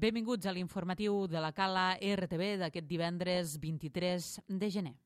Benvinguts a l'informatiu de la Cala RTV d'aquest divendres 23 de gener.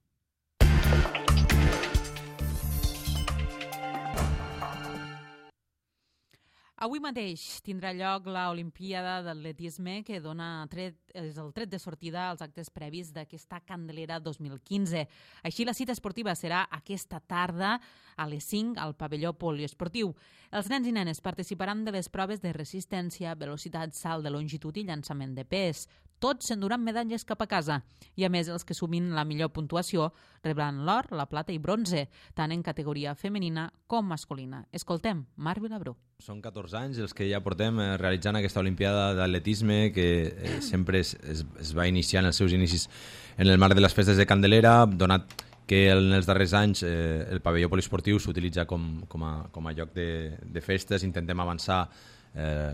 Avui mateix tindrà lloc l'Olimpíada d'Atletisme que és el tret de sortida als actes previs d'aquesta Candelera 2015. Així, la cita esportiva serà aquesta tarda a les 5 al pavelló poliesportiu. Els nens i nenes participaran de les proves de resistència, velocitat, salt de longitud i llançament de pes. Tots s'enduran medalles cap a casa i, a més, els que sumin la millor puntuació rebran l'or, la plata i bronze, tant en categoria femenina com masculina. Escoltem Marc Vilabrú. Són 14 anys els que ja portem realitzant aquesta Olimpiada d'Atletisme que sempre es va iniciar en els seus inicis en el marc de les festes de Candelera, donat que en els darrers anys el pavelló poliesportiu s'utilitza com a lloc de festes. Intentem avançar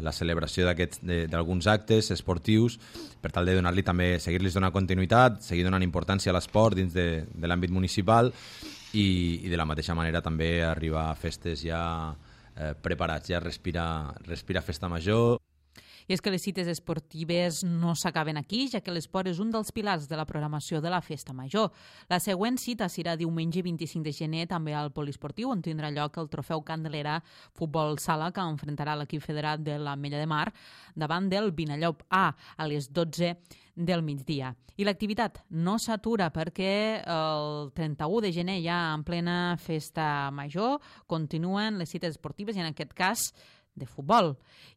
la celebració d'alguns actes esportius per tal de donar-li també, seguir-los donant continuïtat, seguir donant importància a l'esport dins de l'àmbit municipal i de la mateixa manera també arribar a festes ja preparats, ja respira festa major. I és que les cites esportives no s'acaben aquí, ja que l'esport és un dels pilars de la programació de la Festa Major. La següent cita serà diumenge 25 de gener també al poliesportiu, on tindrà lloc el trofeu Candelera Futbol Sala, que enfrontarà l'equip federat de l'Ametlla de Mar davant del Vinallop A a les 12 del migdia. I l'activitat no s'atura perquè el 31 de gener, ja en plena Festa Major, continuen les cites esportives i en aquest cas de futbol.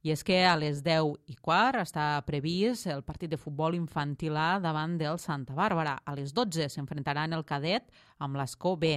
I és que a les 10:15 està previst el partit de futbol infantil A davant del Santa Bàrbara. A les 12 s'enfrontaran el cadet amb l'Escó B.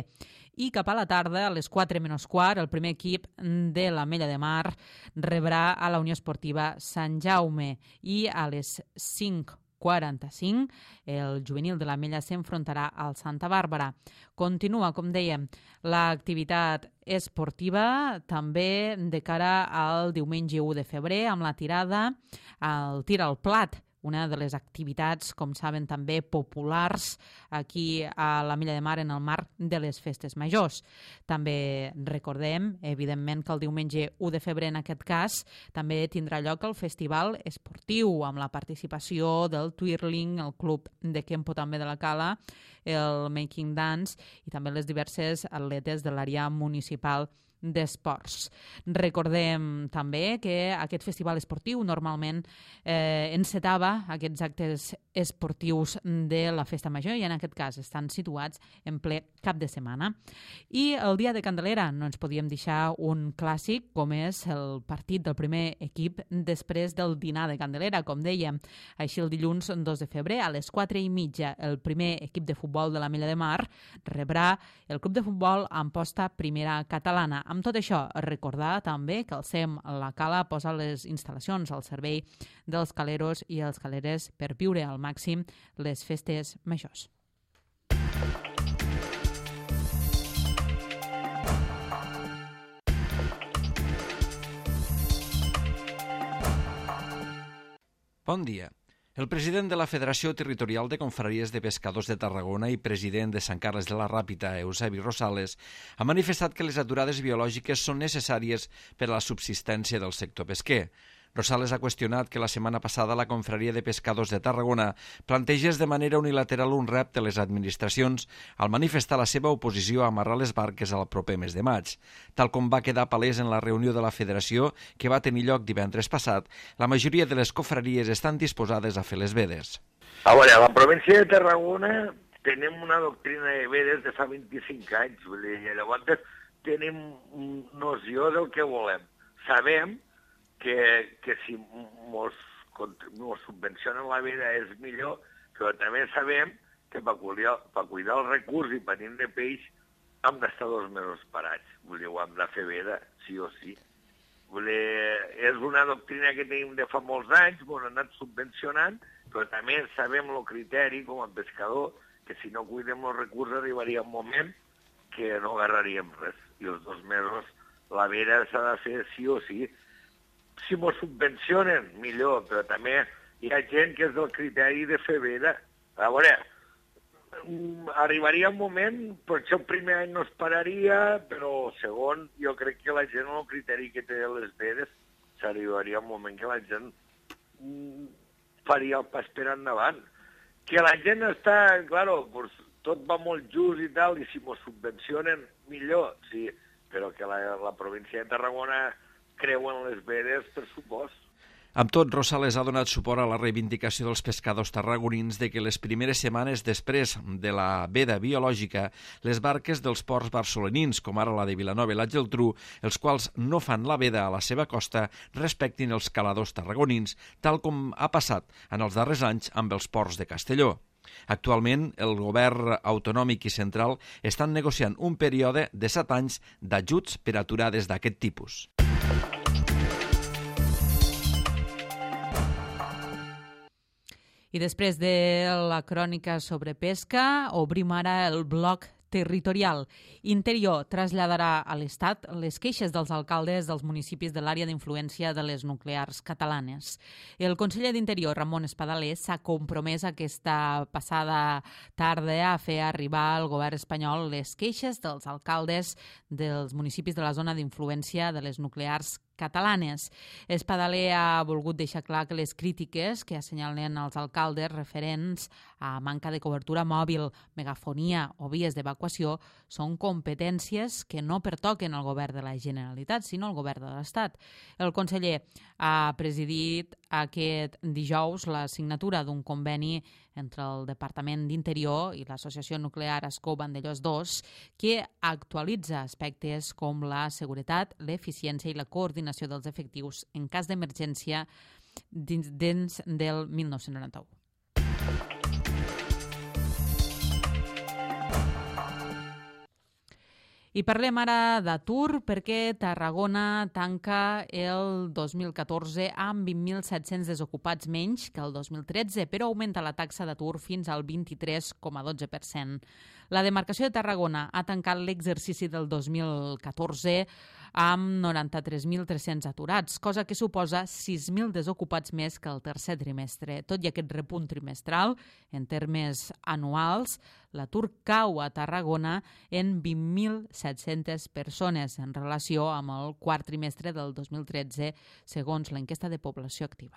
I cap a la tarda, a les 4:15, el primer equip de l'Ametlla de Mar rebrà a la Unió Esportiva Sant Jaume i a les 5:45 el juvenil de l'Ametlla s'enfrontarà al Santa Bàrbara. Continua, com dèiem, l'activitat esportiva també de cara al diumenge 1 de febrer amb la tirada al tir al plat, una de les activitats, com saben, també populars aquí a l'Ametlla de Mar en el marc de les festes majors. També recordem, evidentment, que el diumenge 1 de febrer, en aquest cas, també tindrà lloc el festival esportiu amb la participació del Twirling, el club de Kempo també de la Cala, el Making Dance i també les diverses atletes de l'àrea municipal d'esports. Recordem també que aquest festival esportiu normalment encetava aquests actes esportius de la Festa Major i en aquest cas estan situats en ple cap de setmana. I el dia de Candelera no ens podíem deixar un clàssic com és el partit del primer equip després del dinar de Candelera, com dèiem. Així el dilluns 2 de febrer a les 4:30 el primer equip de futbol de l'Ametlla de Mar rebrà el club de futbol Amposta Primera Catalana. Amb tot això, recordar també que el SEM La Cala posa les instal·lacions al servei dels caleros i els caleres per viure al màxim les festes majors. Bon dia. El president de la Federació Territorial de Confraries de Pescadors de Tarragona i president de Sant Carles de la Ràpita, Eusebi Rosales, ha manifestat que les aturades biològiques són necessàries per a la subsistència del sector pesquer. Rosales ha qüestionat que la setmana passada la Confraria de Pescadors de Tarragona plantegés de manera unilateral un repte a les administracions al manifestar la seva oposició a amarrar les barques al proper mes de maig. Tal com va quedar palès en la reunió de la Federació que va tenir lloc divendres passat, la majoria de les confraries estan disposades a fer les vedes. A veure, a la província de Tarragona tenim una doctrina de vedes de fa 25 anys. Vull dir, llavors tenim noció del que volem. Sabem que si mos subvencionen la vida és millor, però també sabem que per cuidar el recurs i per tindre peix hem d'estar 2 mesos parats. Vull dir, ho hem de fer veda, sí o sí. Vull dir, és una doctrina que tenim de fa molts anys, ens han anat subvencionant, però també sabem el criteri com a pescador, que si no cuidem el recurs arribaria un moment que no agarraríem res. I els 2 mesos la veda s'ha de fer sí o sí. Si m'ho subvencionen, millor, però també hi ha gent que és del criteri de fer veda. A veure, arribaria un moment, potser el primer any no es pararia, però el segon, jo crec que la gent, el criteri que té les vedes, s'arribaria un moment que la gent faria el pas per endavant. Que la gent està, claro, pues, tot va molt just i tal, i si mos subvencionen, millor, sí, però que la província de Tarragona creu en les vedes, per supost. Amb tot, Rosales ha donat suport a la reivindicació dels pescadors tarragonins de que les primeres setmanes després de la veda biològica, les barques dels ports barcelonins, com ara la de Vilanova i la Geltrú, els quals no fan la veda a la seva costa, respectin els caladors tarragonins, tal com ha passat en els darrers anys amb els ports de Castelló. Actualment, el govern autonòmic i central estan negociant un període de 7 anys d'ajuts per aturades d'aquest tipus. I després de la crònica sobre pesca, obrim ara el bloc territorial. Interior traslladarà a l'Estat les queixes dels alcaldes dels municipis de l'àrea d'influència de les nuclears catalanes. El conseller d'Interior, Ramon Espadaler, s'ha compromès aquesta passada tarda a fer arribar al govern espanyol les queixes dels alcaldes dels municipis de la zona d'influència de les nuclears catalanes. Espadaler ha volgut deixar clar que les crítiques que assenyalen els alcaldes referents a manca de cobertura mòbil, megafonia o vies d'evacuació són competències que no pertoquen al govern de la Generalitat, sinó al govern de l'Estat. El conseller ha presidit aquest dijous la signatura d'un conveni entre el Departament d'Interior i l'Associació Nuclear Ascó Vandellòs II, que actualitza aspectes com la seguretat, l'eficiència i la coordinació dels efectius en cas d'emergència dins del 1991. I parlem ara d'atur perquè Tarragona tanca el 2014 amb 20.700 desocupats menys que el 2013, però augmenta la taxa d'atur fins al 23,12%. La demarcació de Tarragona ha tancat l'exercici del 2014 amb 93.300 aturats, cosa que suposa 6.000 desocupats més que el tercer trimestre. Tot i aquest repunt trimestral, en termes anuals, l'atur cau a Tarragona en 20.700 persones en relació amb el quart trimestre del 2013, segons l'enquesta de població activa.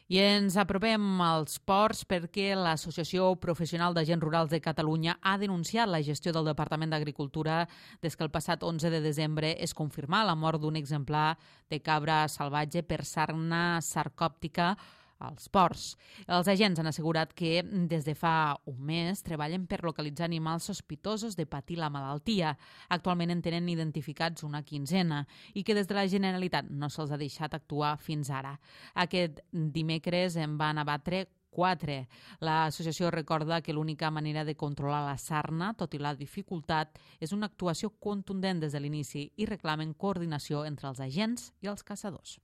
I ens apropem als ports perquè l'Associació Professional d'Agents Rurals de Catalunya ha denunciat la gestió del Departament d'Agricultura des que el passat 11 de desembre es confirmà la mort d'un exemplar de cabra salvatge per sarna sarcòptica als ports. Els agents han assegurat que des de fa un mes treballen per localitzar animals sospitosos de patir la malaltia. Actualment en tenen identificats una quinzena i que des de la Generalitat no se'ls ha deixat actuar fins ara. Aquest dimecres en van abatre 4. L'associació recorda que l'única manera de controlar la sarna, tot i la dificultat, és una actuació contundent des de l'inici i reclamen coordinació entre els agents i els caçadors.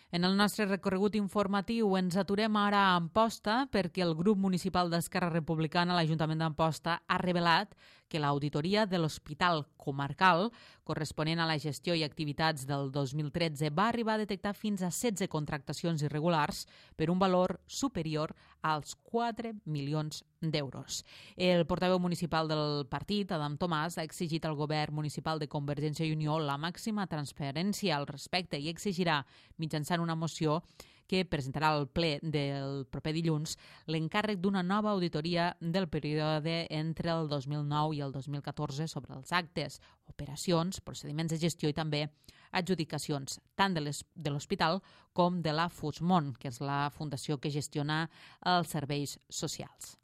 En el nostre recorregut informatiu ens aturem ara a Amposta perquè el grup municipal d'Esquerra Republicana a l'Ajuntament d'Amposta ha revelat que l'auditoria de l'Hospital Comarcal, corresponent a la gestió i activitats del 2013, va arribar a detectar fins a 16 contractacions irregulars per un valor superior als 4 milions d'euros. El portaveu municipal del partit, Adam Tomàs, ha exigit al govern municipal de Convergència i Unió la màxima transparència al respecte i exigirà, mitjançant una moció que presentarà al ple del proper dilluns, l'encàrrec d'una nova auditoria del període entre el 2009 i el 2014 sobre els actes, operacions, procediments de gestió i també adjudicacions, tant de l'hospital com de la FUSMON, que és la fundació que gestiona els serveis socials.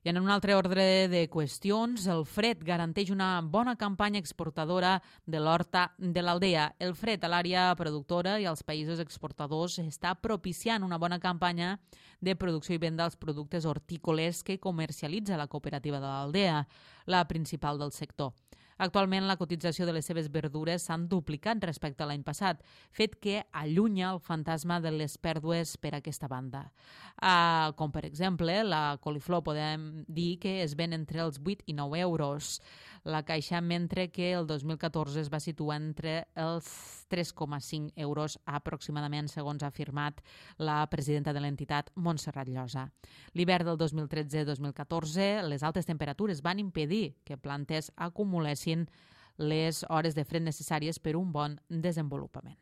I en un altre ordre de qüestions, el fred garanteix una bona campanya exportadora de l'horta de l'Aldea. El fred a l'àrea productora i als països exportadors està propiciant una bona campanya de producció i venda dels productes hortícoles que comercialitza la cooperativa de l'Aldea, la principal del sector. Actualment, la cotització de les seves verdures s'han duplicat respecte a l'any passat, fet que allunya el fantasma de les pèrdues per aquesta banda. Com, per exemple, la coliflor podem dir que es ven entre els 8 i 9 euros. la Caixa, mentre que el 2014 es va situar entre els 3,5 euros aproximadament, segons ha afirmat la presidenta de l'entitat, Montserrat Llosa. L'hivern del 2013-2014, les altes temperatures van impedir que plantes acumulessin les hores de fred necessàries per un bon desenvolupament.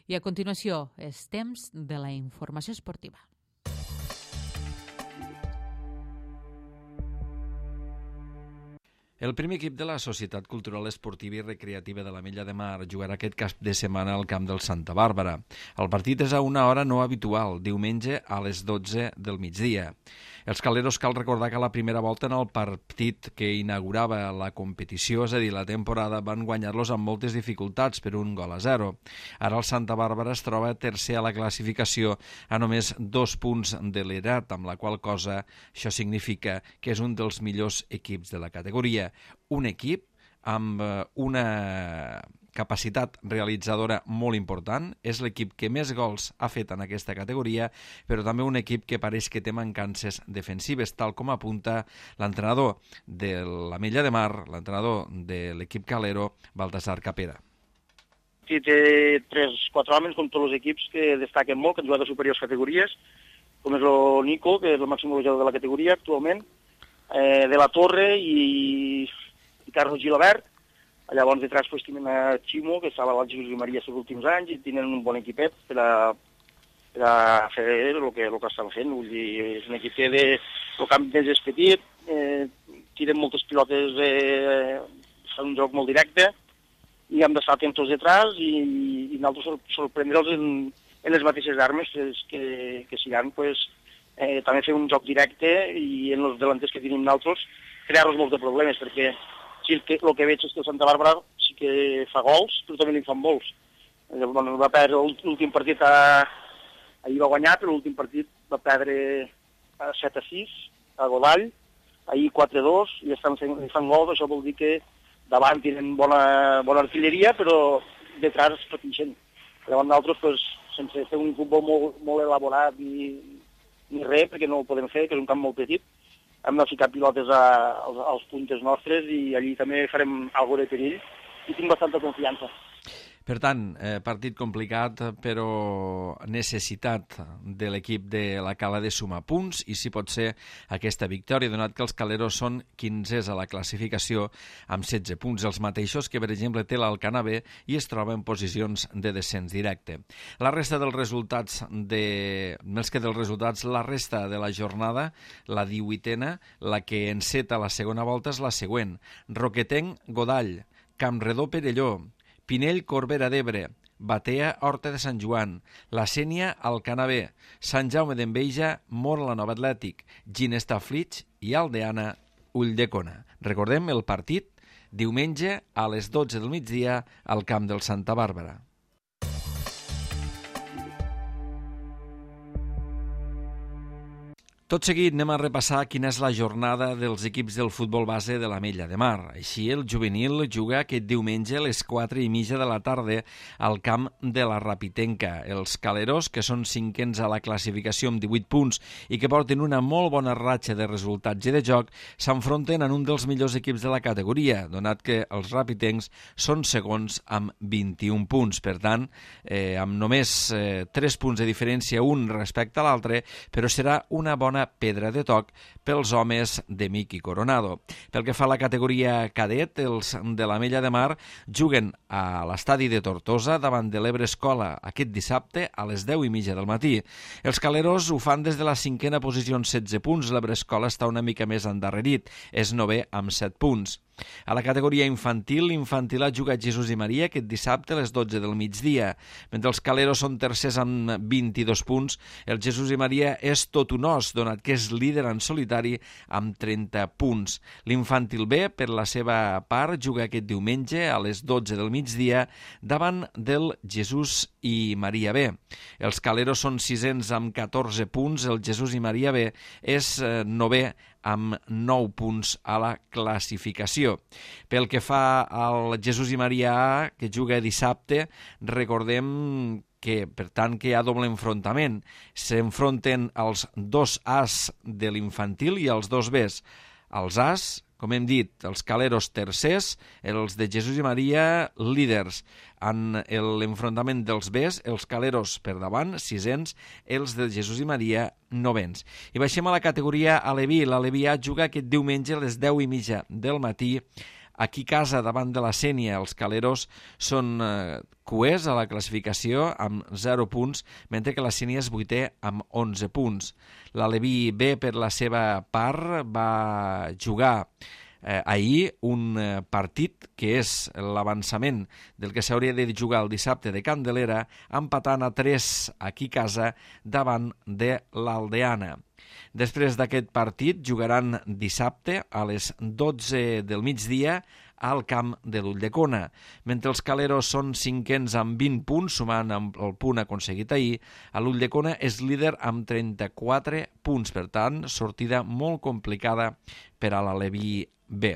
I a continuació, és temps de la informació esportiva. El primer equip de la Societat Cultural Esportiva i Recreativa de l'Ametlla de Mar jugarà aquest cap de setmana al camp del Santa Bàrbara. El partit és a una hora no habitual, diumenge a les 12 del migdia. Els caleros, cal recordar que a la primera volta en el partit que inaugurava la competició, és a dir, la temporada, van guanyar-los amb moltes dificultats per 1-0. Ara el Santa Bàrbara es troba tercer a la classificació a només 2 punts de l'Erat, amb la qual cosa això significa que és un dels millors equips de la categoria. Un equip amb una capacitat realitzadora molt important, és l'equip que més gols ha fet en aquesta categoria, però també un equip que pareix que té mancances defensives, tal com apunta l'entrenador de l'Ametlla de Mar, l'entrenador de l'equip calero, Baltasar Capera. Sí, té 3-4 homes, com tots els equips, que destaquen molt, que han jugat a superiors categories, com és el Nico, que és el màxim golejador de la categoria actualment, de la Torre i Carlos Gilabert. Llavors detrás pues tenen a Ximo, que estava al Jesús i Maria els últims anys, i tenen un bon equipet per a fer el que estan fent. Vull dir, és un equip que el camp més és petit, tiren moltes pilotes, fan un joc molt directe, i hem d'estar atents detrás i nosaltres sorprendre'ls en les mateixes armes que siran, pues, també fer un joc directe i en els delanters que tenim nosaltres crear-los molts de problemes, perquè sí, el que veig és que el Santa Bàrbara sí que fa gols, però també li fan molts. Va perdre l'últim partit, ahir va guanyar, però l'últim partit va perdre 7-6 a Godall, ahir 4-2, i estan fan gols. Això vol dir que davant tenen bona artilleria, però detrás pateixen. Llavors nosaltres, pues, sense fer un futbol molt elaborat ni res, perquè no ho podem fer, que és un camp molt petit, hem de ficar pilotes als puntes nostres i allí també farem alguna de perill i tinc bastanta confiança. Per tant, partit complicat, però necessitat de l'equip de la Cala de sumar punts i si pot ser aquesta victòria, donat que els caleros són 15 a la classificació amb 16 punts, els mateixos que, per exemple, té l'Alcana B i es troba en posicions de descens directe. La resta dels resultats, més que dels resultats, la resta de la jornada, la 18a, la que enceta la segona volta és la següent. Roquetenc, Godall, Campredó, Perelló, Pinell, Corbera d'Ebre, Batea, Horta de Sant Joan, La Sénia, Alcana B, Sant Jaume d'Enveja, Móra la Nova Atlètic, Ginesta Flix i Aldeana, Ulldecona. Recordem el partit diumenge a les 12 del migdia al camp del Santa Bàrbara. Tot seguit anem a repassar quina és la jornada dels equips del futbol base de l'Ametlla de Mar. Així, el juvenil juga aquest diumenge a les 4:30 de la tarda al camp de la Rapitenca. Els caleros, que són 5ens a la classificació amb 18 punts i que porten una molt bona ratxa de resultats i de joc, s'enfronten en un dels millors equips de la categoria, donat que els rapitencs són segons amb 21 punts. Per tant, amb només 3 punts de diferència un respecte a l'altre, però serà una bona pedra de toc pels homes de Miqui Coronado. Pel que fa a la categoria cadet, els de l'Ametlla de Mar juguen a l'estadi de Tortosa davant de l'Ebre Escola aquest dissabte a les 10:30 del matí. Els caleros ho fan des de la 5a posició amb 16 punts. L'Ebre Escola està una mica més endarrerit, és 9è amb 7 punts. A la categoria infantil, l'Infantil ha jugat Jesús i Maria aquest dissabte a les 12 del migdia. Mentre els caleros són tercers amb 22 punts, el Jesús i Maria és tot un os, donat que és líder en solitari amb 30 punts. L'Infantil B, per la seva part, juga aquest diumenge a les 12 del migdia davant del Jesús i Maria B. Els caleros són sisens amb 14 punts, el Jesús i Maria B és 9è amb 9 punts a la classificació. Pel que fa al Jesús i Maria A, que juga dissabte, recordem que per tant que hi ha doble enfrontament. S'enfronten els 2 As de l'infantil i els 2 Bs. Els As, com hem dit, els Caleros tercers, els de Jesús i Maria líders. En l'enfrontament dels Bs, els Caleros per davant, 6ens, els de Jesús i Maria, 9ens. I baixem a la categoria Aleví. L'Aleví A juga aquest diumenge a les 10:30 del matí aquí a casa davant de la Sénia. Els Caleros són cuers a la classificació amb 0 punts, mentre que la Sénia és 8è amb 11 punts. L'Aleví B, per la seva part, va jugar ahir un partit que és l'avançament del que s'hauria de jugar el dissabte de Candelera, empatant a 3 aquí a casa davant de l'Aldeana. Després d'aquest partit jugaran dissabte a les 12 del migdia al camp de l'Ulldecona. Mentre els Caleros són 5ens amb 20 punts, sumant amb el punt aconseguit ahir, l'Ulldecona és líder amb 34 punts. Per tant, sortida molt complicada per a l'Aleví B.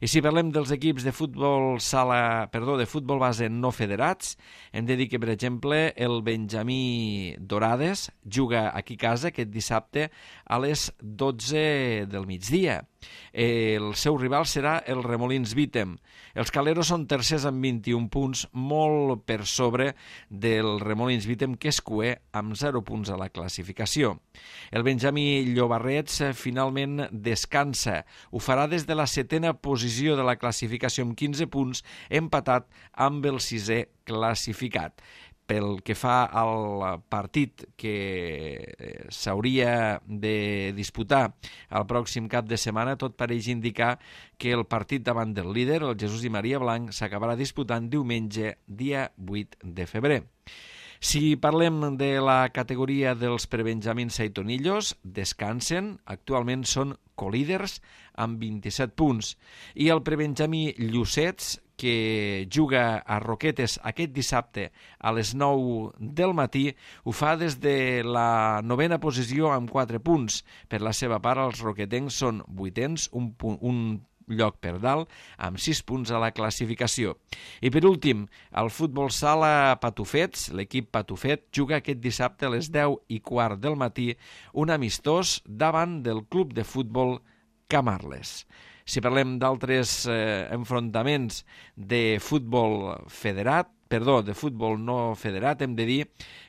I si parlem dels equips de futbol de futbol base no federats, hem de dir que, per exemple, el Benjamí Dorades juga aquí a casa aquest dissabte a les 12 del migdia. El seu rival serà el Remolins Vítem. Els Caleros són tercers amb 21 punts, molt per sobre del Remolins Vítem, que és cuer amb 0 punts a la classificació. El Benjamí Llobarrets finalment descansa. Ho farà des de la 7a posició de la classificació amb 15 punts, empatat amb el 6è classificat. Pel que fa al partit que s'hauria de disputar el pròxim cap de setmana, tot pareix indicar que el partit davant del líder, el Jesús i Maria Blanc, s'acabarà disputant diumenge, dia 8 de febrer. Si parlem de la categoria dels prebenjamins saitonillos, descansen, actualment són colíders amb 27 punts. I el prebenjamí Llucets, que juga a Roquetes aquest dissabte a les 9 del matí, ho fa des de la 9a posició amb 4 punts. Per la seva part, els roquetencs són 8ens, un lloc per dalt, amb 6 punts a la classificació. I per últim, el futbol sala Patufets, l'equip Patufet, juga aquest dissabte a les 10:15 del matí, un amistós davant del club de futbol Camarles. Si parlem d'altres enfrontaments de futbol no federat, hem de dir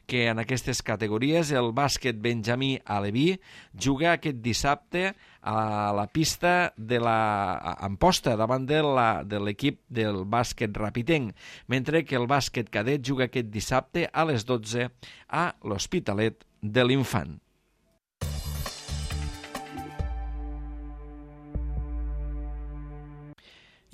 que en aquestes categories el bàsquet Benjamí Aleví juga aquest dissabte a la pista de Amposta davant de l'equip del bàsquet Rapitenc, mentre que el bàsquet cadet juga aquest dissabte a les 12 a l'Hospitalet de l'Infant.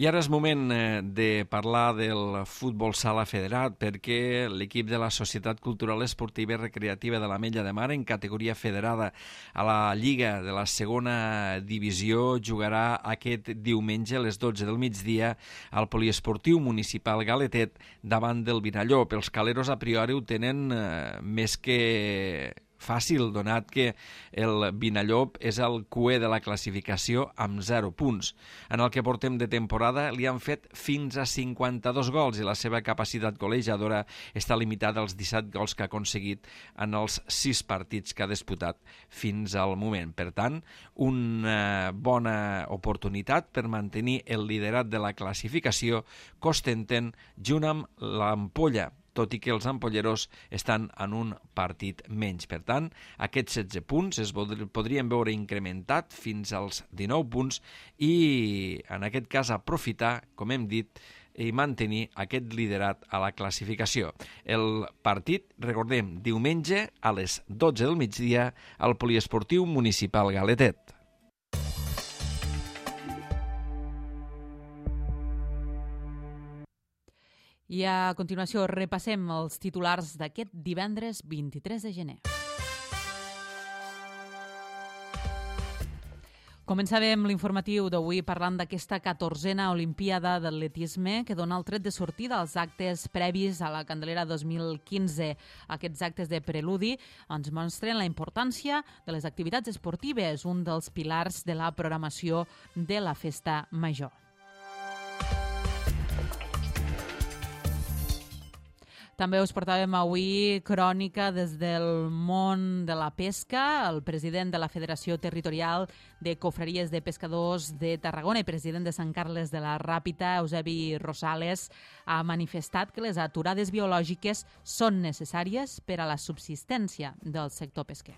I ara és moment de parlar del futbol sala federat, perquè l'equip de la Societat Cultural Esportiva i Recreativa de l'Ametlla de Mar, en categoria federada a la Lliga de la segona divisió, jugarà aquest diumenge a les 12 del migdia al poliesportiu municipal Galetet davant del Vinallop. Els caleros a priori ho tenen més que fàcil, donat que el Vinallop és el cuer de la classificació amb 0 punts. En el que portem de temporada li han fet fins a 52 gols i la seva capacitat golejadora està limitada als 17 gols que ha aconseguit en els 6 partits que ha disputat fins al moment. Per tant, una bona oportunitat per mantenir el liderat de la classificació que ostenten junt amb l'Ampolla, tot i que els ampolleros estan en un partit menys. Per tant, aquests 16 punts es podrien veure incrementat fins als 19 punts i, en aquest cas, aprofitar, com hem dit, i mantenir aquest liderat a la classificació. El partit, recordem, diumenge a les 12 del migdia al poliesportiu municipal Galetet. I a continuació repassem els titulars d'aquest divendres 23 de gener. Començàvem l'informatiu d'avui parlant d'aquesta 14a Olimpiada d'Atletisme que dona el tret de sortida als actes previs a la Candelera 2015. Aquests actes de preludi ens mostren la importància de les activitats esportives, un dels pilars de la programació de la Festa Major. També us portàvem avui crònica des del món de la pesca. El president de la Federació Territorial de Confraries de Pescadors de Tarragona i president de Sant Carles de la Ràpita, Eusebi Rosales, ha manifestat que les aturades biològiques són necessàries per a la subsistència del sector pesquer.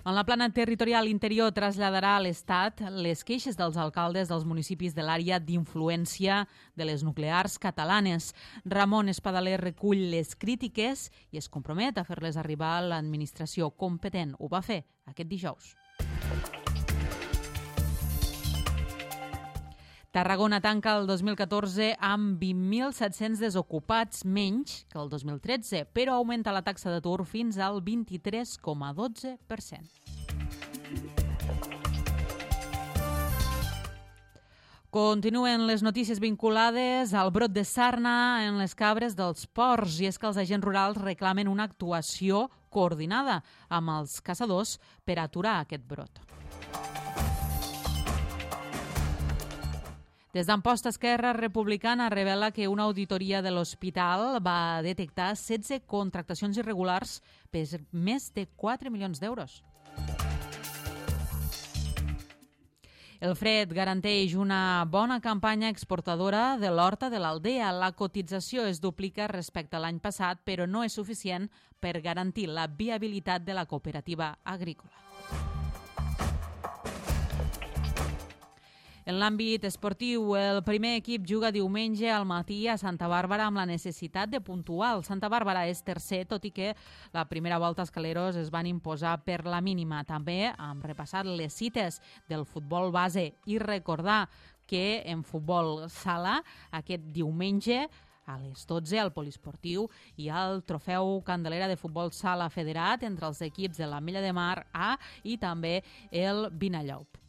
En la plana territorial interior traslladarà a l'Estat les queixes dels alcaldes dels municipis de l'àrea d'influència de les nuclears catalanes. Ramon Espadaler recull les crítiques i es compromet a fer-les arribar a l'administració competent. Ho va fer aquest dijous. Tarragona tanca el 2014 amb 20.700 desocupats menys que el 2013, però augmenta la taxa d'atur fins al 23,12%. Continuen les notícies vinculades al brot de sarna en les cabres dels ports, i és que els agents rurals reclamen una actuació coordinada amb els caçadors per aturar aquest brot. Des d'Amposta, Esquerra Republicana revela que una auditoria de l'hospital va detectar 16 contractacions irregulars per més de 4 milions d'euros. El fred garanteix una bona campanya exportadora de l'horta de l'Aldea. La cotització es duplica respecte a l'any passat, però no és suficient per garantir la viabilitat de la cooperativa agrícola. En l'àmbit esportiu, el primer equip juga diumenge al matí a Santa Bàrbara amb la necessitat de puntuar. El Santa Bàrbara és tercer, tot i que la primera volta els caleros es van imposar per la mínima. També hem repassat les cites del futbol base i recordar que en futbol sala aquest diumenge a les 12 al Poliesportiu hi ha el trofeu Candelera de futbol sala federat entre els equips de l'Ametlla de Mar A i també el Vinallop.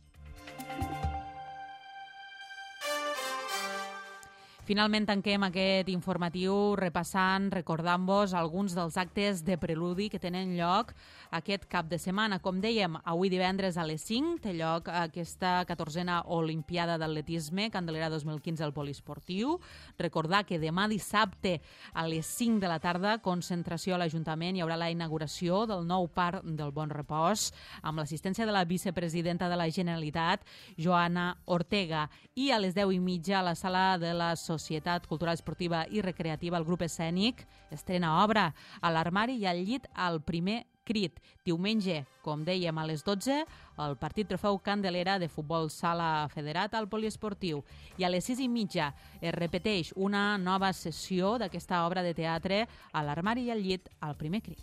Finalment tanquem aquest informatiu repassant, recordant-vos alguns dels actes de preludi que tenen lloc aquest cap de setmana. Com dèiem, avui divendres a les 5 té lloc aquesta 14a Olimpiada d'Atletisme Candelera 2015 al Poliesportiu. Recordar que demà dissabte a les 5 de la tarda, concentració a l'Ajuntament, hi haurà la inauguració del nou Parc del Bon Repòs amb l'assistència de la vicepresidenta de la Generalitat, Joana Ortega, i a les 10:30 a la sala de la Societat Cultural Esportiva i Recreativa, el grup escènic estrena obra a l'Armari i al llit al primer crit. Diumenge, com dèiem, a les 12, el partit trofeu Candelera de futbol sala federat al Poliesportiu. I a les 6:30 es repeteix una nova sessió d'aquesta obra de teatre a l'Armari i al llit al primer crit.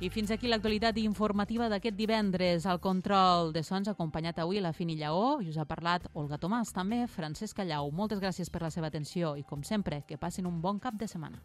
I fins aquí l'actualitat informativa d'aquest divendres. Al control de sons, acompanyat avui la Fini Lleó, i us ha parlat Olga Tomàs, també Francesc Callau. Moltes gràcies per la seva atenció i, com sempre, que passin un bon cap de setmana.